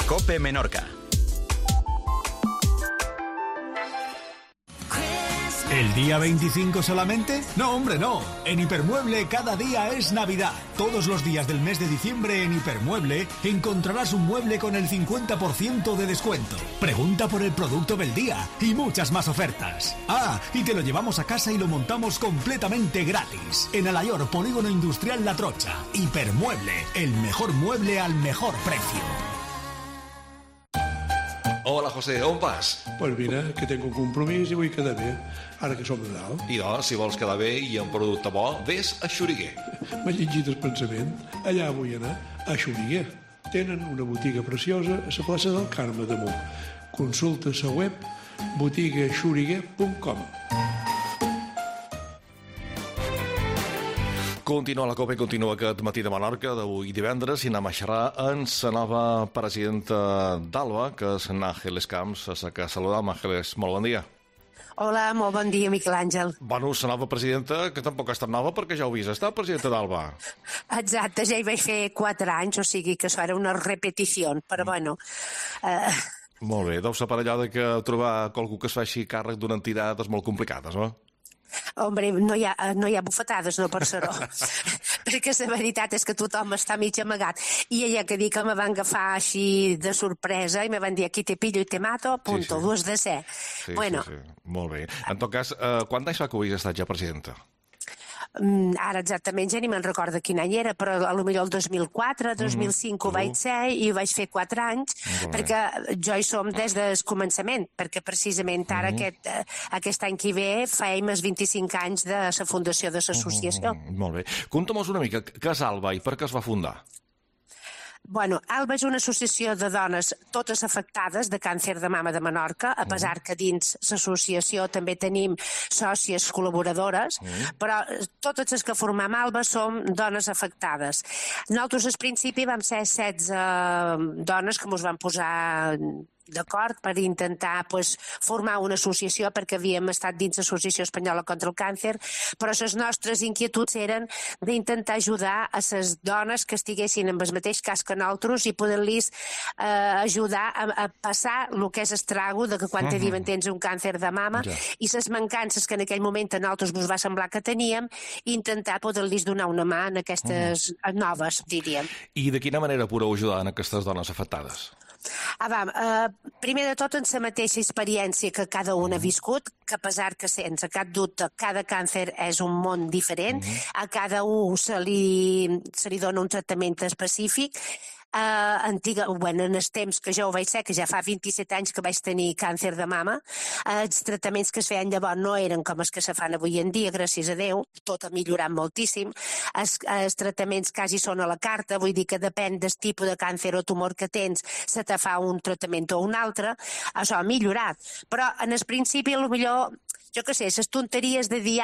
COPE Menorca. ¿El día 25 solamente? No, hombre, no. En Hipermueble cada día es Navidad. Todos los días del mes de diciembre en Hipermueble encontrarás un mueble con el 50% de descuento. Pregunta por el producto del día y muchas más ofertas. Ah, y te lo llevamos a casa y lo montamos completamente gratis. En Alayor, Polígono Industrial La Trocha. Hipermueble, el mejor mueble al mejor precio. Hola, José, on vas? Pues mira, que tengo un compromís i vull quedar bé, ara que som de dalt. I doncs, si vols quedar bé i amb producte bo, vés a Xuriguer. M'ha llegit el pensament. Allà vull anar, a Xuriguer. Tenen una botiga preciosa a la plaça del Carme damunt. Consulta la web botigaxuriguer.com. Continua la COPE, continua aquest matí de Menorca d'avui divendres i anem a xerrar amb la nova presidenta d'Alba, que és Àngeles Camps, a la que saludam. Àngeles, molt bon dia. Hola, molt bon dia, Miquel Àngel. Bueno, la nova presidenta, que tampoc ha estat nova perquè ja ho havies estat, presidenta d'Alba. Exacte, ja hi vaig fer 4 anys, o sigui que això era una repetició, però bueno... Molt bé, deu ser per allò que trobar qualcú que es faci càrrec d'una entitat és molt complicat, no? Hombre, no hi ha bufetades, no per ser-ho. Perquè la veritat és que tothom està mig amagat. I ella que dic que me van agafar així de sorpresa i me van dir aquí te pillo i te mato, punto, sí. 2 de ser. Sí, bueno. sí. Molt bé. En tot cas, quant anys fa que havies estat ja presidenta? Ara exactament ja ni me'n recordo quin any era, però potser el 2004, 2005 ho vaig ser i ho vaig fer 4 anys, perquè jo hi som des del començament, perquè precisament ara aquest any que ve faim els 25 anys de la fundació de l'associació. Molt bé. Conta'm-nos una mica, què és Alba i per què es va fundar? Bueno, Alba és una associació de dones totes afectades de càncer de mama de Menorca, a pesar que dins l'associació també tenim sòcies col·laboradores, però totes les que formam Alba som dones afectades. Nosaltres al principi vam ser 16 dones que ens vam posar d'acord per intentar formar una associació perquè havíem estat dins l'Associació Espanyola contra el Càncer, però les nostres inquietuds eren d'intentar ajudar a les dones que estiguessin en el mateix cas que nosaltres i poder-los ajudar a passar el que és estrago de que quan te diuen tens un càncer de mama i les mancances que en aquell moment a nosaltres ens va semblar que teníem, intentar poder-los donar una mà en aquestes noves, diríem. I de quina manera podeu ajudar en aquestes dones afectades? Primer de tot en la mateixa experiència que cada un ha viscut, que a pesar que sense cap dubte cada càncer és un món diferent, a cada un se li dona un tractament específic. En els temps que jo ho vaig ser, que ja fa 27 anys que vaig tenir càncer de mama, els tractaments que es feien llavors no eren com els que se fan avui en dia, gràcies a Déu, tot ha millorat moltíssim. Els tractaments quasi són a la carta, vull dir que depèn del tipus de càncer o tumor que tens, se te fa un tractament o un altre, això ha millorat. Però en el principi, potser jo què sé, les tonteries de dir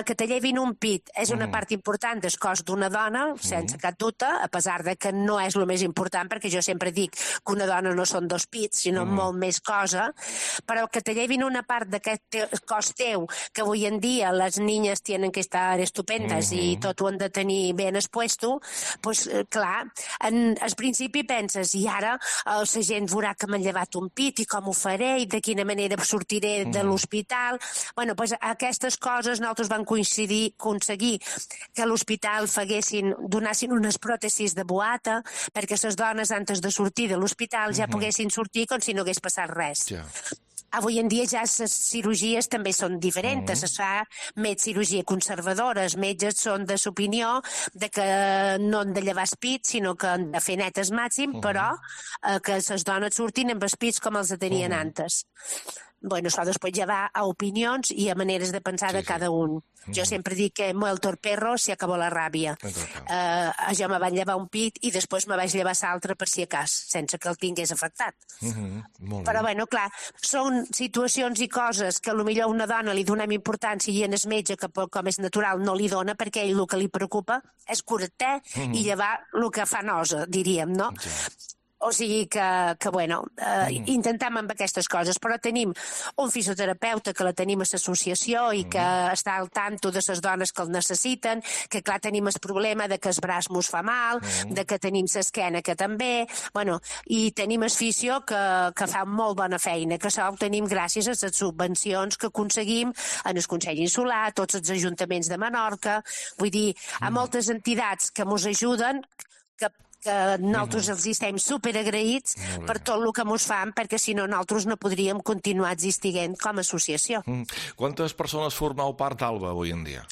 que te llevin un pit és una part important del cos d'una dona, sense cap dubte, a pesar de que no és el més important, perquè jo sempre dic que una dona no són 2 pits, sinó molt més cosa, però que te llevin una part d'aquest cos teu, que avui en dia les niñas tenen que estar estupendes i tot ho han de tenir ben expuesto, doncs clar, al principi penses, i ara la gent veurà que m'han llevat un pit i com ho faré i de quina manera sortiré de l'hospital. Bueno, doncs aquestes coses nosaltres vam aconseguir que a l'hospital donassin unes pròtesis de boata perquè les dones, antes de sortir de l'hospital, ja poguessin sortir com si no hagués passat res. Avui en dia ja les cirurgies també són diferents, es fa més cirurgia conservadora, els metges són de l'opinió de que no han de llevar els pits, sinó que han de fer net el màxim, però que les dones surtin amb els pits com els tenien antes. Bueno, això després ja va a opinions i a maneres de pensar de cada un. Jo sempre dic que muerto el perro se acabó la ràbia. Jo me vaig llevar un pit i després me vaig llevar l'altre per si a cas, sense que el tingués afectat. Però, bueno, clar, són situacions i coses que potser a una dona li donem importància i en el metge, que com és natural, no li dona, perquè ell el que li preocupa és curar-te i llevar el que fa nosa, diríem, no? O sigui que bueno, intentem amb aquestes coses, però tenim un fisioterapeuta que la tenim a l'associació i que està al tanto de les dones que el necessiten, que clar, tenim el problema de que el braç mos fa mal, de que tenim l'esquena que també, bueno, i tenim el fisio que fa molt bona feina, que això ho tenim gràcies a les subvencions que aconseguim en el Consell Insular, tots els ajuntaments de Menorca, vull dir, a moltes entitats que mos ajuden, que nosaltres els estem superagraïts per tot el que mos fan, perquè si no nosaltres no podríem continuar existint com a associació. Quantes persones formeu part d'Alba avui en dia?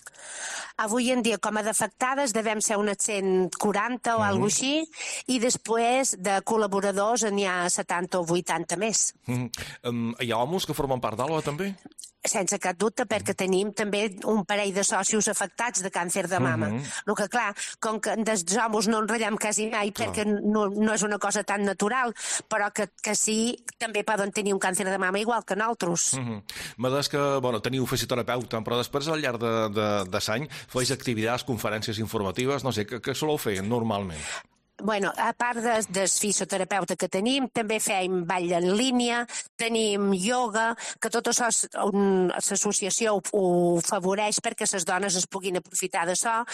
Avui en dia, com a defectades, devem ser unes 140 o alguna cosa així, i després de col·laboradors n'hi ha 70 o 80 més. Hi ha homes que formen part d'Alba, també? Sense cap dubte, perquè tenim també un parell de socis afectats de càncer de mama. El que, clar, com que dels homes no enrotllem quasi mai, perquè no és una cosa tan natural, però que sí, també poden tenir un càncer de mama igual que nosaltres. M'ha dit que, bueno, teniu fisioterapeuta, però després, al llarg de l'any, feis activitats, conferències informatives, no sé, què soleu fer normalment? Bueno, a part del fisioterapeuta que tenim, també fem ball en línia, tenim ioga, que tot això l'associació ho favoreix perquè les dones es puguin aprofitar d'això.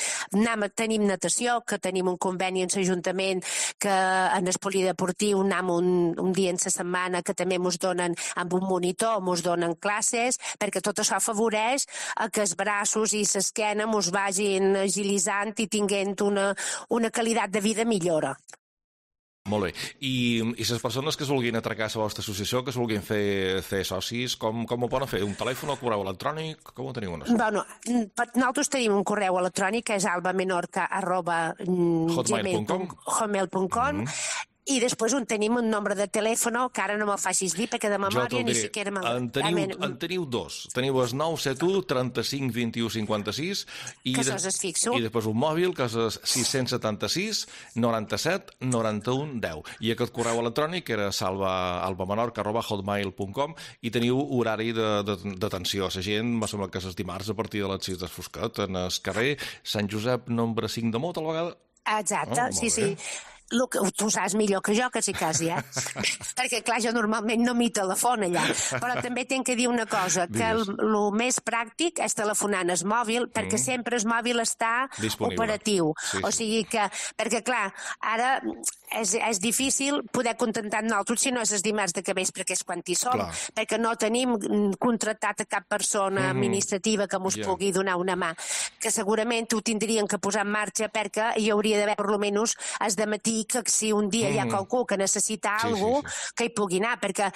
Tenim natació, que tenim un conveni en l'Ajuntament, que en el polideportiu anem un dia en la setmana, que també ens donen amb un monitor, ens donen classes, perquè tot això afavoreix que els braços i l'esquena ens vagin agilitzant i tinguent una qualitat de vida millor. Molt bé. I les persones que es vulguin atracar a la vostra associació, que es vulguin fer socis, com ho poden fer? Un telèfon o correu electrònic? Com ho teniu? Bueno, nosaltres tenim un correu electrònic que és albamenorca@gmail.com i després tenim un nombre de telèfon que ara no me'l facis dir perquè de memòria ni siquiera en teniu dos. Teniu el 971 35 21 56 que això és fixo. I després un mòbil que és el 676 97 91 10. I aquest correu electrònic era albamenorca@hotmail.com i teniu horari d'atenció a la gent, me sembla que és els dimarts a partir de les 6 del Foscat, en el carrer Sant Josep, nombre 5 de Mot, a la vegada? Exacte, sí. Tu saps millor que jo, quasi, perquè, clar, jo normalment no m'hi telefono allà, però també tinc que dir una cosa, que el més pràctic és telefonar en el mòbil, perquè sempre el mòbil està operatiu. O sigui que, perquè, clar, ara és difícil poder contentar nosaltres si no és el dimarts de vespre, que és quan hi som, perquè no tenim contractat a cap persona administrativa que ens pugui donar una mà, que segurament ho tindrien que posar en marxa perquè hi hauria d'haver, per almenys, el dematí, que si un dia hi ha qualcú que necessita alguna cosa, que hi pugui anar, perquè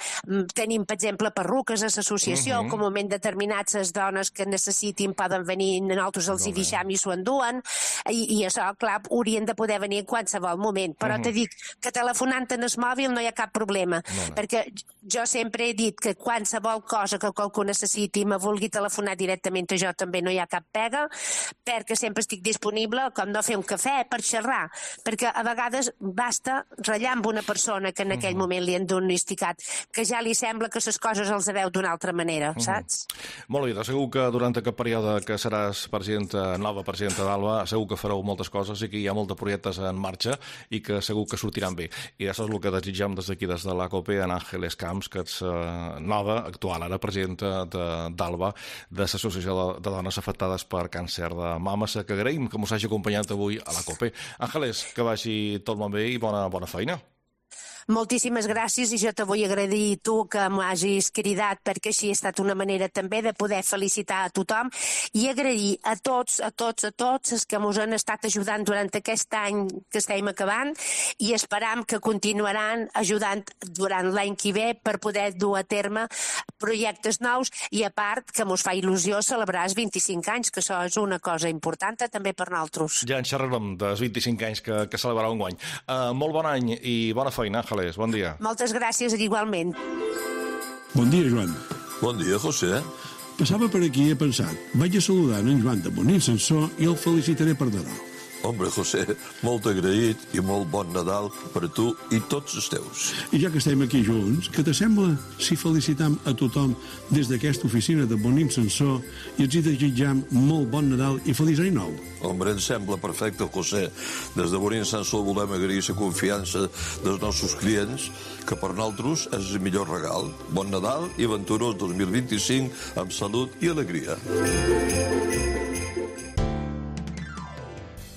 tenim, per exemple, perruques a l'associació, que en un moment determinats les dones que necessitin poden venir, nosaltres els hi deixam i s'ho enduen, i això, clar, haurien de poder venir en qualsevol moment. Però te dic que telefonant en el mòbil no hi ha cap problema, perquè jo sempre he dit que qualsevol cosa que qualcú necessiti me vulgui telefonar directament a jo també no hi ha cap pega, perquè sempre estic disponible, com no fer un cafè, per xerrar, perquè a vegades basta ratllar amb una persona que en aquell moment li han diagnosticat, que ja li sembla que les coses els veu d'una altra manera, saps? Molt bé, segur que durant aquest període que seràs nova presidenta d'Alba, segur que fareu moltes coses i que hi ha molts projectes en marxa i que segur que sortiran bé. I això és el que desitgem des d'aquí, des de l'ACOPE, en Àngeles Camps, que ets nova, actual, ara presidenta d'Alba, de l'Associació de Dones Afectades per Càncer de Mama, que agraïm que ens hagi acompanyat avui a l'ACOPE. Àngeles, que vagi tot molt bé i bona feina. Moltíssimes gràcies i jo te vull agrair tu que m'hagis cridat perquè així ha estat una manera també de poder felicitar a tothom i agrair a tots els que ens han estat ajudant durant aquest any que estem acabant i esperam que continuaran ajudant durant l'any que ve per poder dur a terme projectes nous i a part que ens fa il·lusió celebrar els 25 anys, que això és una cosa important també per nosaltres. Ja en xerrarem dels 25 anys que celebrarà un guany. Molt bon any i bona feina, Ángeles, bon dia. Moltes gràcies, igualment. Bon dia, Joan. Bon dia, José. Passava per aquí i he pensat, vaig a saludar en Joan de Bonín Sansó i el felicitaré per Nadal. Hombre, José, molt agraït i molt bon Nadal per a tu i tots els teus. I ja que estem aquí junts, què t'assembla si felicitam a tothom des d'aquesta oficina de Bonim Sansor i els hi desitjam molt bon Nadal i feliç any nou? Hombre, em sembla perfecte, José. Des de Bonim Sansor volem agrair la confiança dels nostres clients, que per nosaltres és el millor regal. Bon Nadal i venturós 2025 amb salut i alegria.